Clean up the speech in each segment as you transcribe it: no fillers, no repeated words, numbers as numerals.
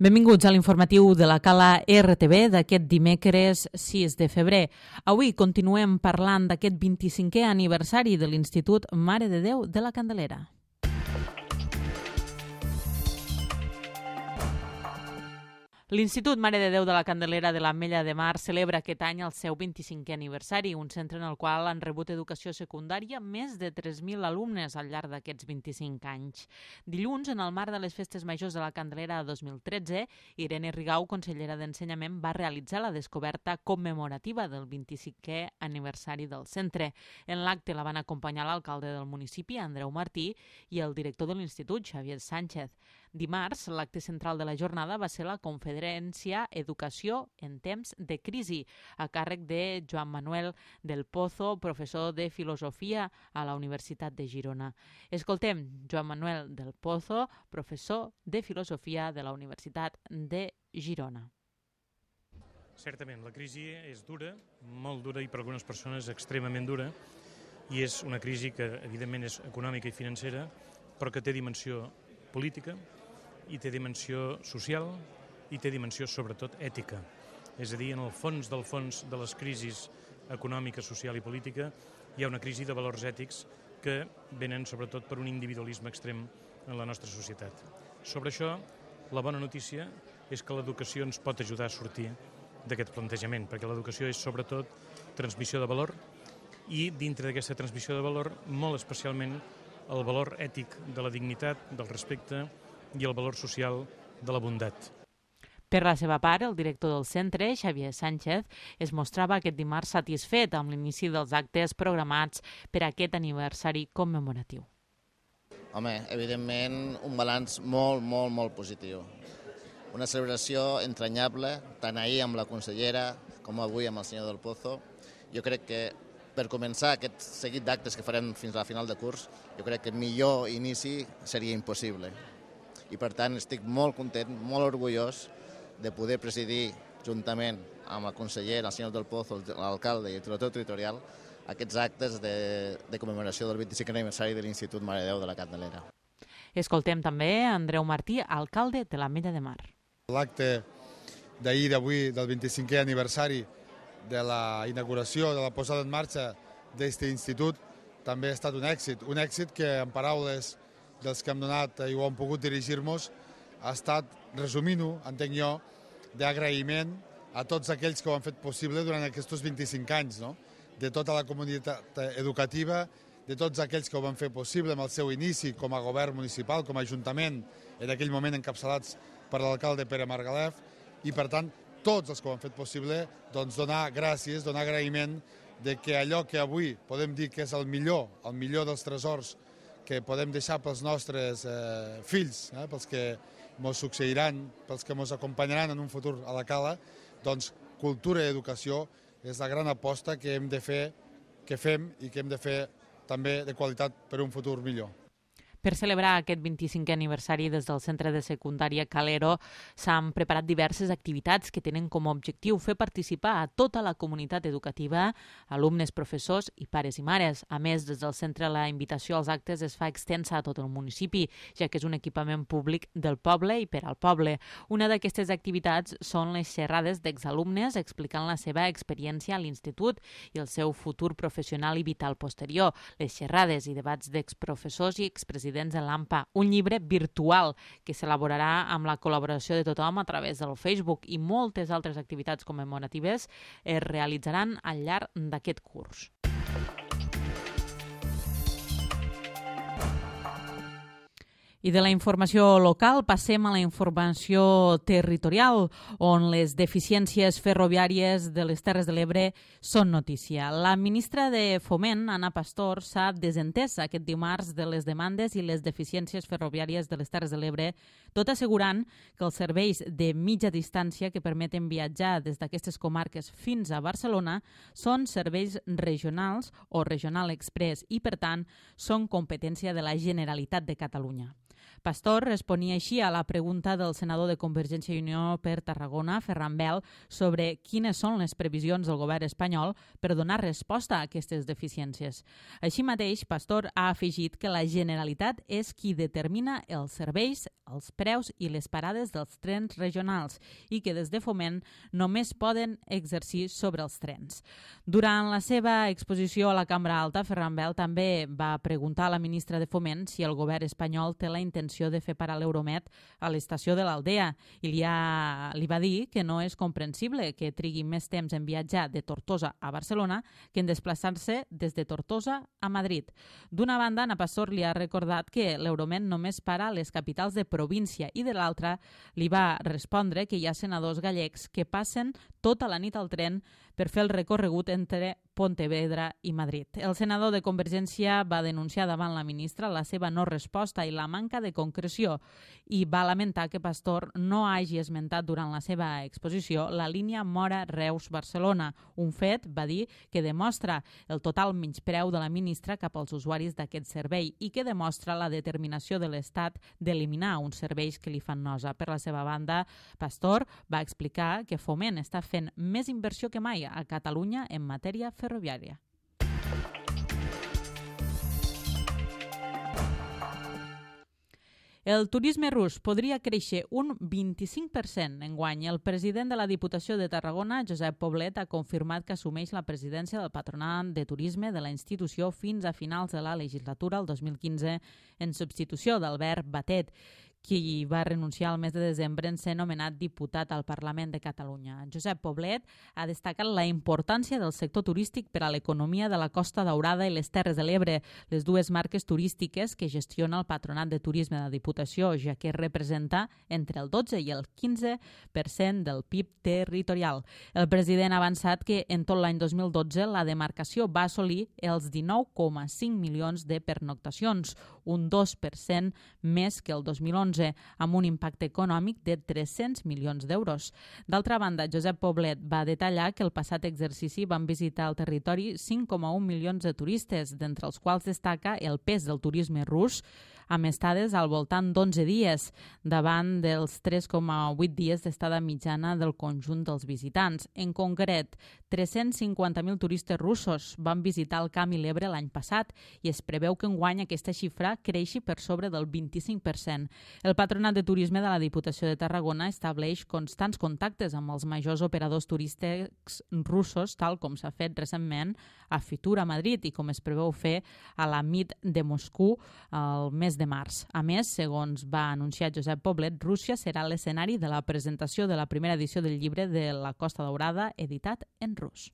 Benvinguts a l'informatiu de la Cala RTV d'aquest dimecres 6 de febrer. Avui continuem parlant d'aquest 25è aniversari de l'Institut Mare de Déu de la Candelera. L'Institut Mare de Déu de la Candelera de l'Ametlla de Mar celebra aquest any el seu 25è aniversari, un centre en el qual han rebut educació secundària més de 3.000 alumnes al llarg d'aquests 25 anys. Dilluns, en el marc de les Festes Majors de la Candelera 2013, Irene Rigau, consellera d'Ensenyament, va realitzar la descoberta commemorativa del 25è aniversari del centre. En l'acte la van acompanyar l'alcalde del municipi, Andreu Martí, i el director de l'Institut, Xavier Sánchez. Dimarts, l'acte central de la jornada va ser la Conferència Educació en temps de crisi, a càrrec de Joan Manuel del Pozo, professor de Filosofia a la Universitat de Girona. Escoltem Joan Manuel del Pozo, professor de Filosofia de la Universitat de Girona. Certament, la crisi és dura, molt dura i per algunes persones extremament dura, i és una crisi que evidentment és econòmica i financera, però que té dimensió política, i té dimensió social i té dimensió sobretot ètica. És a dir, en el fons del fons de les crisis econòmica, social i política hi ha una crisi de valors ètics que venen sobretot per un individualisme extrem en la nostra societat. Sobre això, la bona notícia és que l'educació ens pot ajudar a sortir d'aquest plantejament, perquè l'educació és sobretot transmissió de valor i dintre d'aquesta transmissió de valor, molt especialment el valor ètic de la dignitat, del respecte i el valor social de la bondat. Per la seva part, el director del centre, Xavier Sánchez, es mostrava aquest dimarts satisfet amb l'inici dels actes programats per aquest aniversari commemoratiu. Home, evidentment, un balanç molt positiu. Una celebració entranyable, tant ahir amb la consellera com avui amb el senyor del Pozo. Jo crec que per començar aquest seguit d'actes que farem fins a la final de curs, jo crec que millor inici seria impossible. I per tant estic molt content, molt orgullós de poder presidir juntament amb la consellera, el senyor del Pozo, l'alcalde i el director territorial aquests actes de commemoració del 25è aniversari de l'Institut Mare de Déu de la Candelera. Escoltem també Andreu Martí, alcalde de l'Ametlla de Mar. L'acte d'ahir d'avui del 25è aniversari de la inauguració, de la posada en marxa d'aquest institut també ha estat un èxit que en paraules dels que hem donat i ho hem pogut dirigir-nos ha estat, resumint-ho, entenc jo, d'agraïment a tots aquells que ho han fet possible durant aquests 25 anys, no? De tota la comunitat educativa, de tots aquells que ho van fer possible amb el seu inici com a govern municipal, com a ajuntament, en aquell moment encapçalats per l'alcalde Pere Margalef, i per tant tots els que ho han fet possible, doncs donar gràcies, donar agraïment de que allò que avui podem dir que és el millor dels tresors que podem deixar pels nostres fills, pels que ens succeiran, pels que ens acompanyaran en un futur a la Cala, doncs cultura i educació és la gran aposta que hem de fer, que fem i que hem de fer també de qualitat per un futur millor. Per celebrar aquest 25è aniversari des del centre de secundària Calero s'han preparat diverses activitats que tenen com a objectiu fer participar a tota la comunitat educativa, alumnes, professors i pares i mares. A més, des del centre la invitació als actes es fa extensa a tot el municipi, ja que és un equipament públic del poble i per al poble. Una d'aquestes activitats són les xerrades d'exalumnes explicant la seva experiència a l'institut i el seu futur professional i vital posterior, les xerrades i debats d'exprofessors i expresidents de l'AMPA, un llibre virtual que s'elaborarà amb la col·laboració de tothom a través del Facebook, i moltes altres activitats commemoratives es realitzaran al llarg d'aquest curs. I de la informació local passem a la informació territorial, on les deficiències ferroviàries de les Terres de l'Ebre són notícia. La ministra de Foment, Ana Pastor, s'ha desentès aquest dimarts de les demandes i les deficiències ferroviàries de les Terres de l'Ebre, tot assegurant que els serveis de mitja distància que permeten viatjar des d'aquestes comarques fins a Barcelona són serveis regionals o Regional Express i, per tant, són competència de la Generalitat de Catalunya. Pastor responia així a la pregunta del senador de Convergència i Unió per Tarragona, Ferran Bel, sobre quines són les previsions del govern espanyol per donar resposta a aquestes deficiències. Així mateix, Pastor ha afegit que la Generalitat és qui determina els serveis, els preus i les parades dels trens regionals i que des de Foment només poden exercir sobre els trens. Durant la seva exposició a la Cambra Alta, Ferran Bel també va preguntar a la ministra de Foment si el govern espanyol té la intenció de fer parar l'Euromed a l'estació de l'Aldea i li va dir que no és comprensible que trigui més temps en viatjar de Tortosa a Barcelona que en desplaçar-se des de Tortosa a Madrid. D'una banda, Ana Pastor li ha recordat que l'Euromed només para a les capitals de província i de l'altra li va respondre que hi ha senadors gallecs que passen tota la nit al tren per fer el recorregut entre Pontevedra i Madrid. El senador de Convergència va denunciar davant la ministra la seva no resposta i la manca de concreció i va lamentar que Pastor no hagi esmentat durant la seva exposició la línia Móra-Reus-Barcelona, un fet, va dir, que demostra el total menyspreu de la ministra cap als usuaris d'aquest servei i que demostra la determinació de l'Estat d'eliminar uns serveis que li fan nosa. Per la seva banda, Pastor va explicar que Foment està fent més inversió que mai a Catalunya en matèria ferroviària. El turisme rus podria créixer un 25% enguany. El president de la Diputació de Tarragona, Josep Poblet, ha confirmat que assumeix la presidència del Patronat de Turisme de la institució fins a finals de la legislatura, el 2015, en substitució d'Albert Batet, qui va renunciar al mes de desembre en ser nomenat diputat al Parlament de Catalunya. Josep Poblet ha destacat la importància del sector turístic per a l'economia de la Costa Daurada i les Terres de l'Ebre, les dues marques turístiques que gestiona el Patronat de Turisme de la Diputació, ja que representa entre el 12 i el 15% del PIB territorial. El president ha avançat que en tot l'any 2012 la demarcació va assolir els 19,5 milions de pernoctacions, un 2% més que el 2011, amb un impacte econòmic de 300 milions d'euros. D'altra banda, Josep Poblet va detallar que el passat exercici van visitar el territori 5,1 milions de turistes, d'entre els quals destaca el pes del turisme rus, amb estades al voltant d'11 dies, davant dels 3,8 dies d'estada mitjana del conjunt dels visitants. En concret, 350.000 turistes russos van visitar el Camp i l'Ebre l'any passat i es preveu que enguany aquesta xifra creixi per sobre del 25%. El Patronat de Turisme de la Diputació de Tarragona estableix constants contactes amb els majors operadors turístics russos, tal com s'ha fet recentment a Fitur a Madrid i com es preveu fer a la MIT de Moscou el mes de març. A més, segons va anunciar Josep Poblet, Rússia serà l'escenari de la presentació de la primera edició del llibre de la Costa Daurada, editat en rus.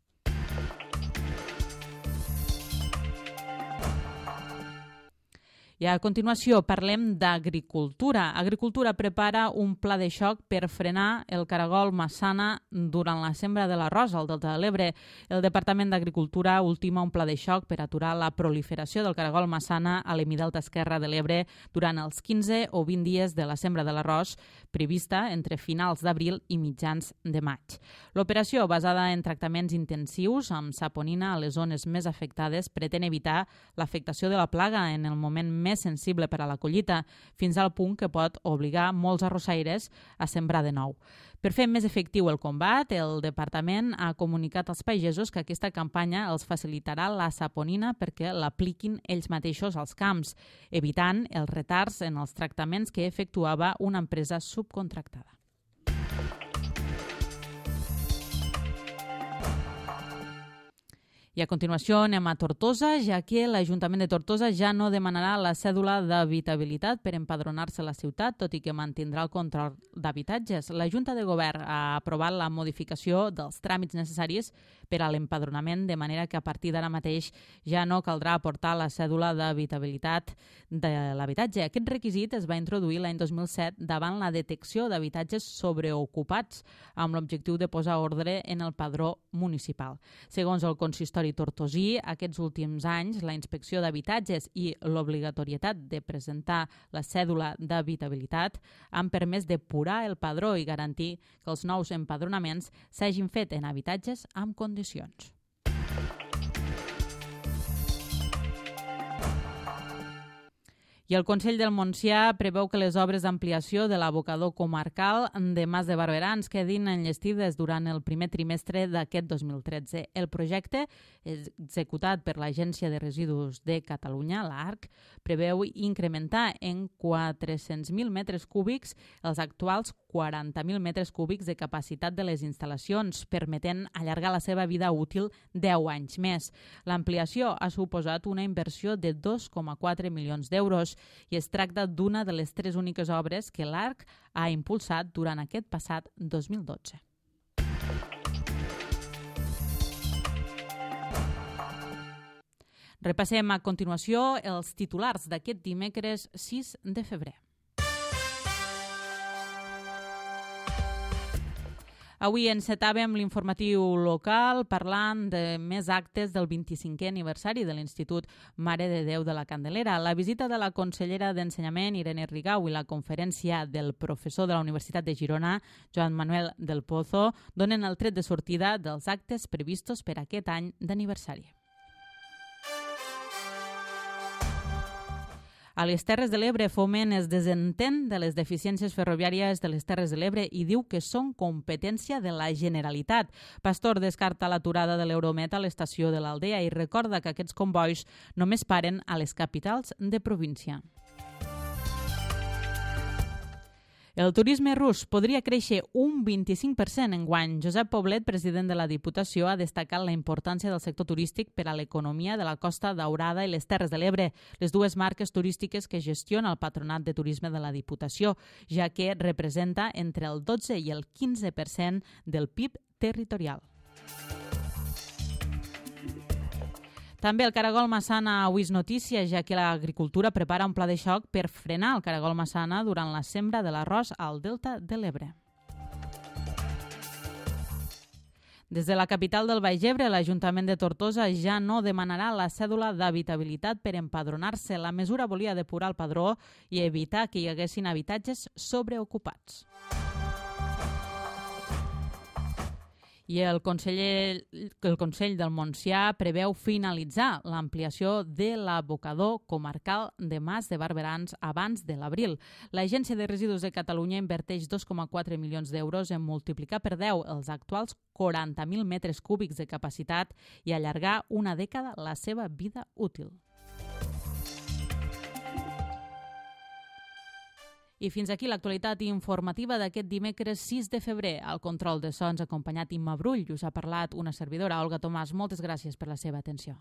I a continuació parlem d'agricultura. Agricultura prepara un pla de xoc per frenar el caragol massana durant la sembra de l'arròs al Delta de l'Ebre. El Departament d'Agricultura ultima un pla de xoc per aturar la proliferació del caragol massana a l'hemidelta esquerre de l'Ebre durant els 15 o 20 dies de la sembra de l'arròs prevista entre finals d'abril i mitjans de maig. L'operació, basada en tractaments intensius amb saponina a les zones més afectades, pretén evitar l'afectació de la plaga en el moment més sensible per a la collita, fins al punt que pot obligar molts arrossaires a sembrar de nou. Per fer més efectiu el combat, el departament ha comunicat als pagesos que aquesta campanya els facilitarà la saponina perquè l'apliquin ells mateixos als camps, evitant els retards en els tractaments que efectuava una empresa subcontractada. I a continuació anem a Tortosa, ja que l'Ajuntament de Tortosa ja no demanarà la cèdula d'habitabilitat per empadronar-se a la ciutat, tot i que mantindrà el control d'habitatges. La Junta de Govern ha aprovat la modificació dels tràmits necessaris per a l'empadronament, de manera que a partir d'ara mateix ja no caldrà aportar la cèdula d'habitabilitat de l'habitatge. Aquest requisit es va introduir l'any 2007 davant la detecció d'habitatges sobreocupats, amb l'objectiu de posar ordre en el padró municipal. Segons el consistori tortosí, aquests últims anys la inspecció d'habitatges i l'obligatorietat de presentar la cèdula d'habitabilitat han permès depurar el padró i garantir que els nous empadronaments s'hagin fet en habitatges amb condicions. I el Consell del Montsià preveu que les obres d'ampliació de l'abocador comarcal de Mas de Barberans quedin enllestides durant el primer trimestre d'aquest 2013. El projecte, executat per l'Agència de Residus de Catalunya, l'ARC, preveu incrementar en 400.000 metres cúbics els actuals 40.000 metres cúbics de capacitat de les instal·lacions, permetent allargar la seva vida útil 10 anys més. L'ampliació ha suposat una inversió de 2,4 milions d'euros i es tracta d'una de les 3 úniques obres que l'ARC ha impulsat durant aquest passat 2012. Repassem a continuació els titulars d'aquest dimecres 6 de febrer. Avui encetàvem l'informatiu local parlant de més actes del 25è aniversari de l'Institut Mare de Déu de la Candelera. La visita de la consellera d'Ensenyament, Irene Rigau, i la conferència del professor de la Universitat de Girona, Joan Manuel del Pozo, donen el tret de sortida dels actes previstos per aquest any d'aniversari. A les Terres de l'Ebre, Foment es desentén de les deficiències ferroviàries de les Terres de l'Ebre i diu que són competència de la Generalitat. Pastor descarta l'aturada de l'Euromet a l'estació de l'Aldea i recorda que aquests combois només paren a les capitals de província. El turisme rus podria créixer un 25% enguany. Josep Poblet, president de la Diputació, ha destacat la importància del sector turístic per a l'economia de la Costa Daurada i les Terres de l'Ebre, les dues marques turístiques que gestiona el Patronat de Turisme de la Diputació, ja que representa entre el 12 i el 15% del PIB territorial. També el caragol massana avui és notícia, ja que l'agricultura prepara un pla de xoc per frenar el caragol massana durant la sembra de l'arròs al delta de l'Ebre. Des de la capital del Baix Ebre, l'Ajuntament de Tortosa ja no demanarà la cèdula d'habitabilitat per empadronar-se. La mesura volia depurar el padró i evitar que hi haguessin habitatges sobreocupats. I el Consell del Montsià preveu finalitzar l'ampliació de l'abocador comarcal de Mas de Barberans abans de l'abril. L'Agència de Residus de Catalunya inverteix 2,4 milions d'euros en multiplicar per 10 els actuals 40.000 metres cúbics de capacitat i allargar una dècada la seva vida útil. I fins aquí l'actualitat informativa d'aquest dimecres 6 de febrer. Al control de sons acompanyat Imma Brull, us ha parlat una servidora, Olga Tomàs. Moltes gràcies per la seva atenció.